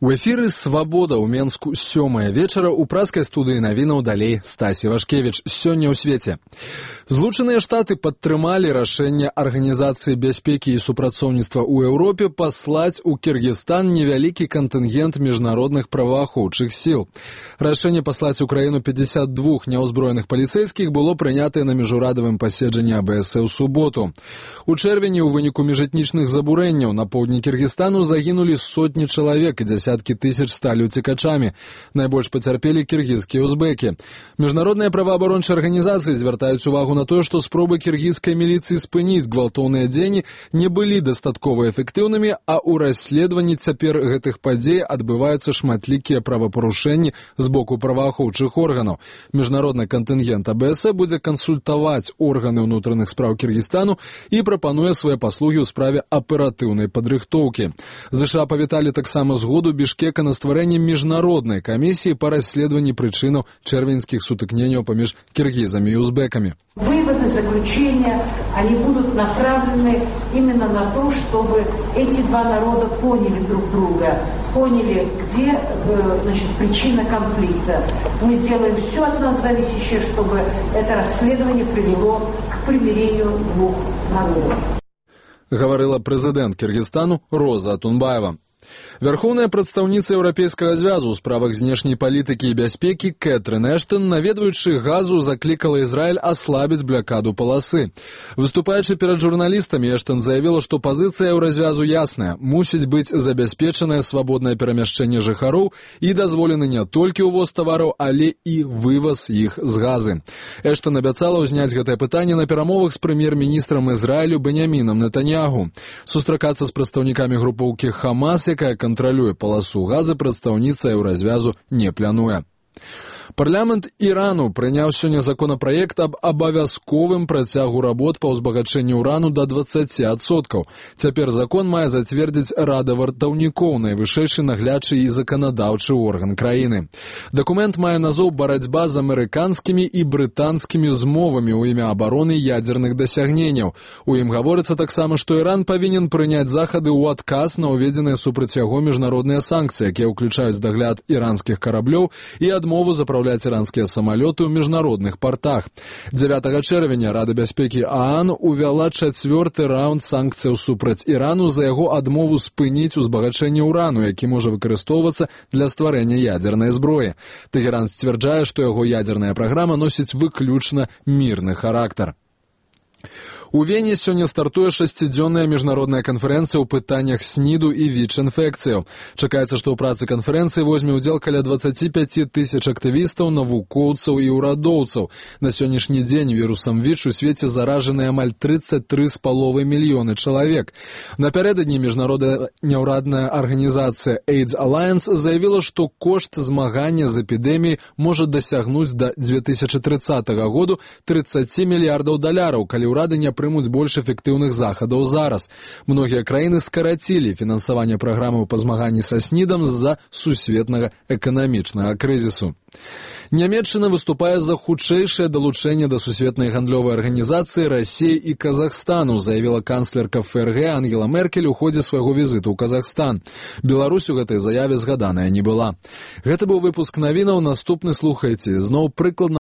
У эфіры «Свабода» ў Менску 7 вечара ў праскай студыі навінаў далей Стась Івашкевіч. Сёння ў свеце. Злучаныя Штаты падтрымалі рашэнне Арганізацыі бяспекі і супрацоўніцтва ў Еўропе паслаць у Кіргізстан невялікі кантынгент міжнародных праваахоўчых сіл. Рашэнне паслаць у краіну 52 няўзброеных паліцэйскіх было прынятае на міжурадавым паседжанні АБС ў суботу. У чэрвені ў выніку міжэтнічных забурэнняў на поўдні Кіргізстану загінулі сотні чалавек і дзясяткі тысяч сталі уцекачамі. Найбольш пацярпелі кіргізскія узбекі. Міжнародныя праваабарончыя арганізацыі звяртаюць увагу на тое, што спробы кіргізскай міліцыі спыніць гвалтоўныя дзеянні не былі дастаткова эфектыўнымі, а ў расследаванні цяпер гэтых падзей адбываюцца шматлікія правапарушэнні з боку праваахоўчых органаў. Міжнародны кантынгент АБС будзе кансультаваць органы ўнутраных спраў Кіргізстану і прапануе свае паслугі ў справе аператыўнай падрыхтоўкі. ЗША павіталі таксама згоду Бішкека на стварэнне міжнароднай камісіі па расследаванні прычынаў чэрвеньскіх сутыкненняў паміж кіргізамі і узбекамі. Выводы, заключения, они будут направлены именно на то, чтобы эти два народа поняли друг друга, поняли, где причина конфликта. Мы сделаем все от нас зависящее, чтобы это расследование привело к примирению двух народов. Гаварыла прэзідэнт Кіргізстану Роза Атунбаева. Вярхоўная прадстаўніца Еўрапейскага звязу ў справах знешняй палітыкі і бяспекі Кэтрын Эштон, наведваючы Газу, заклікала Ізраіль аслабіць блакаду паласы. Выступаючы перад журналістамі, Эштон заявіла, што пазіцыя еўразвязу ясная. Мусіць быць забяспечанае свабоднае перамяшчэнне жыхароў і дазволены не толькі ўвоз тавараў, але і вываз іх з Газы. Эштон абяцала ўзняць гэтае пытанне на перамовах з прэм'ер-міністрам Ізраілю Беньямінам Нетаньягу. Сустракацца з прадстаўнікамі групоўкі Хамас, якая кантралюе паласу Газы, прадстаўніца еўразвязу не плануе. Парламент Ірану прыняў сёння законапраект аб абавязковым працягу работ па ўзбагачэнню ўрану да 20%. Цяпер закон мае зацвердзіць Рада вартаўнікоў, найвышэйшы наглядчы і заканадаўчы орган краіны. Дакумент мае назоў «Барацьба з амерыканскімі і брытанскімі змовамі ў імя абароны ядзерных дасягненняў». У ім гаворыцца таксама, што Іран павінен прыняць захады ў адказ на ўведзеныя супраць яго міжнародныя санкцыі, якія ўключаюць дагляд іранскіх караблёў і адмову запраўляць іранскія самалёты ў міжнародных партах. 9 чэрвеня Рада бяспекі ААН увяла 4-ы раунд санкцыяў супраць Ірану за яго адмову спыніць узбагачэнне ўрану, які можа выкарыстоўвацца для стварэння ядзернай зброі. Тэгеран сцвярджае, што яго ядзерная праграма носіць выключна мірны характар. У Вене сёння стартуе 6-дзённая міжнародная канферэнцыя ў пытаннях СНІДу і ВІЧ-інфекцыяў. Чакаецца, што ў працы канферэнцыі возьме ўдзел каля 25 тысяч актывістаў, навукоўцаў і ўрадоўцаў. На сённяшні дзень вірусам ВІЧ у свеце заражаны амаль 33,5 мільёны чалавек. Напярэдадні міжнародная няўрадная арганізацыя AIDS Alliance заявіла, што кошт змагання з эпідэміяй можа дасягнуць да 2030 году 30 мільярдаў даляраў, калі ўрады не прымуць больш эфектыўных захадаў зараз. Многія краіны скарацілі фінансаванне праграмаў па змаганні са СНІДам з-за сусветнага эканамічнага крызісу. Нямецчына выступае за хутчэйшае далучэнне да сусветнай гандлёвай арганізацыі Расіі і Казахстану, заявіла канцлерка ФРГ Ангела Меркель у ходзе свайго візіту ў Казахстан. Беларусь у гэтай заяве згаданая не была. Гэта быў выпуск навінаў, наступны слухайце. Зноў прыкладна